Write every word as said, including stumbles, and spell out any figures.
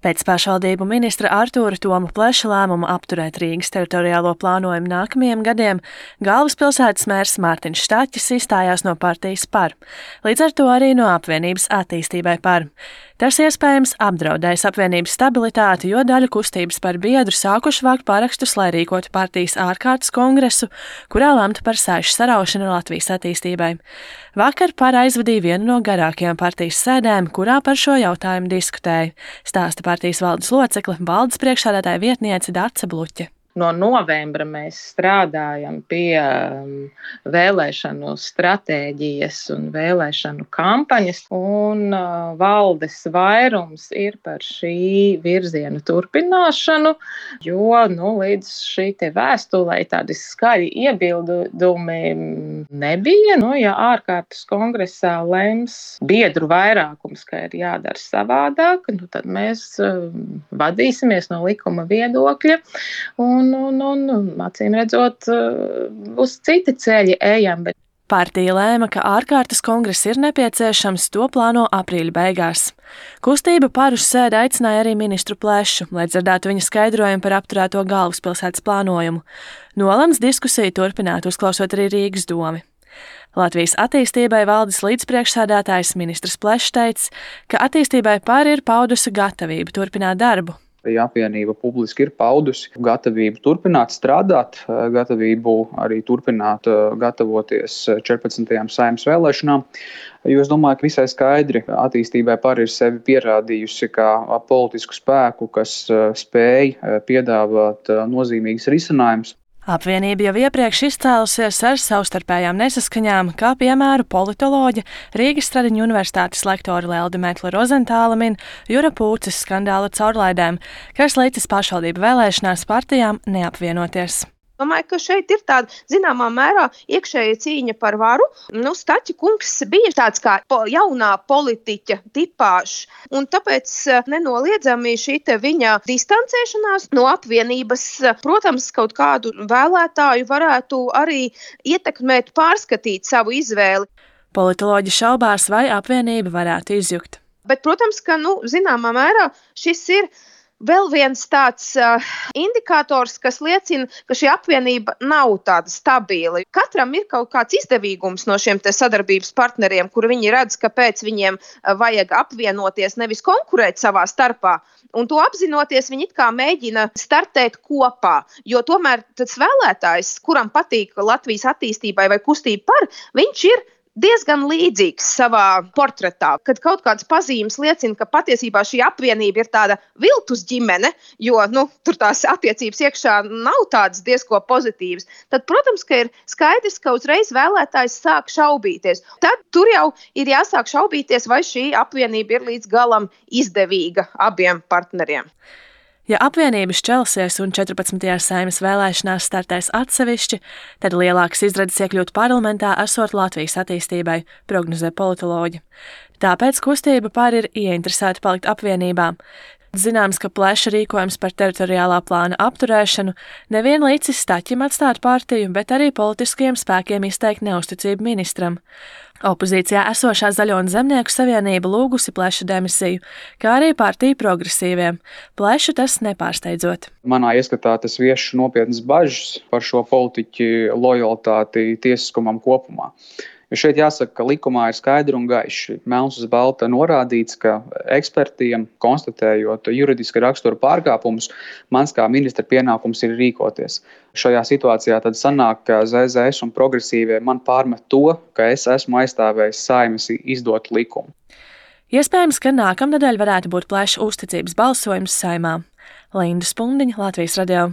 Pēc pašvaldību ministra Artūra Toma Pleša lēmuma apturēt Rīgas teritoriālo plānojumu nākamajiem gadiem, galvaspilsētas mērs Mārtiņš Štaķis izstājās no partijas Par, līdz ar to arī no apvienības Attīstībai Par. Tas iespējams apdraudējis apvienības stabilitāti, jo daļa kustības par biedru sākuši vākt parakstus, lai rīkotu partijas ārkārtas kongresu, kurā lemtu par sēžu saraušanu Latvijas attīstībai. Vakar Par aizvadīja vienu no garākajām partijas sēdēm, kurā par šo jautājumu diskutēja, stāsta partijas valdes locekle, valdes priekšsēdētāja vietniece Dace Bluķe. No novembra mēs strādājam pie vēlēšanu stratēģijas un vēlēšanu kampaņas, un valdes vairums ir par šī virziena turpināšanu, jo nu, līdz šī te vēstulē tādi skaļi iebildumi nebija. Nu, ja ārkārtas kongresā lems biedru vairākums, ka ir jādara savādāk, nu, tad mēs vadīsimies no likuma viedokļa. Un Un, un, un, acīm redzot, uz citi ceļi ejam. Bet... Partija lēma, ka ārkārtas kongress ir nepieciešams, to plāno aprīļa beigās. Kustība Par uz sēdi aicināja arī ministru Plešu, lai dzirdētu viņa skaidrojumu par apturēto galvaspilsētas plānojumu. Nolemts diskusiju turpināt, uzklausot arī Rīgas domi. Latvijas attīstībai valdes līdzpriekšsēdētājs ministrs Plešs teica, ka Attīstībai Par ir paudusi gatavību turpināt darbu. Ja apvienība publiski ir paudusi gatavību turpināt strādāt, gatavību arī turpināt gatavoties četrpadsmitajām Saeimas vēlēšanām, jo es domāju, ka visai skaidri Attīstībai Par ir sevi pierādījusi kā politisku spēku, kas spēj piedāvāt nozīmīgus risinājumus. Apvienība jau iepriekš izcēlusies ar savstarpējām nesaskaņām, kā piemēru politoloģe Rīgas Stradiņu universitātes lektori Lelde Metla Rozentāla min Jura Pūces skandāla caurlaidēm, kas licis pašvaldību vēlēšanās partijām neapvienoties. Domāju, ka šeit ir tāda zināmā mērā iekšēja cīņa par varu. Nu, Staķa kungs bija tāds kā jaunā politiķa tipāžs, un tāpēc nenoliedzami šī te viņa distancēšanās no apvienības, protams, kaut kādu vēlētāju varētu arī ietekmēt, pārskatīt savu izvēli. Politoloģi šaubās, vai apvienība varētu izjukt. Bet, protams, ka, nu, zināmā mērā šis ir vēl viens tāds uh, indikators, kas liecina, ka šī apvienība nav tāda stabila. Katram ir kaut kāds izdevīgums no šiem te sadarbības partneriem, kur viņi redz, kāpēc viņiem uh, vajag apvienoties, nevis konkurēt savā starpā. Un to apzinoties, viņi it kā mēģina startēt kopā, jo tomēr tas vēlētājs, kuram patīk Latvijas attīstībai vai kustība Par, viņš ir diezgan līdzīgs savā portretā, kad kaut kādas pazīmes liecina, ka patiesībā šī apvienība ir tāda viltus ģimene, jo nu, tur tās attiecības iekšā nav tādas diezko pozitīvas, tad, protams, ka ir skaidrs, ka uzreiz vēlētājs sāk šaubīties. Tad tur jau ir jāsāk šaubīties, vai šī apvienība ir līdz galam izdevīga abiem partneriem. Ja apvienība šķelsies un četrpadsmitajās Saeimas vēlēšanās startēs atsevišķi, tad lielākas izredzes iekļūt parlamentā esot Latvijas attīstībai, prognozē politoloģi. Tāpēc kustība Par ir ieinteresēta palikt apvienībā. Zināms, ka Pleša rīkojums par teritoriālā plāna apturēšanu nevien licis Staķim atstāt partiju, bet arī politiskajiem spēkiem izteikt neusticību ministram. Opozīcijā esošā Zaļo un Zemnieku savienība lūgusi Pleša demisiju, kā arī partija Progresīviem. Plešu tas nepārsteidzot. Manā ieskatā tas vieš nopietnas bažas par šo politiķu lojalitāti tiesiskumam kopumā. Jo šeit jāsaka, ka likumā ir skaidri un gaiši, melns uz balta norādīts, ka ekspertiem, konstatējot juridiska rakstura pārkāpumus, mans kā ministra pienākums ir rīkoties. Šajā situācijā tad sanāk, ka Z Z S un Progresīvie man pārmet to, ka es esmu aizstāvējis Saeimas izdotu likumu. Iespējams, ka nākamnedēļ varētu būt Pleša uzticības balsojums Saeimā. Linda Spundiņa, Latvijas radio.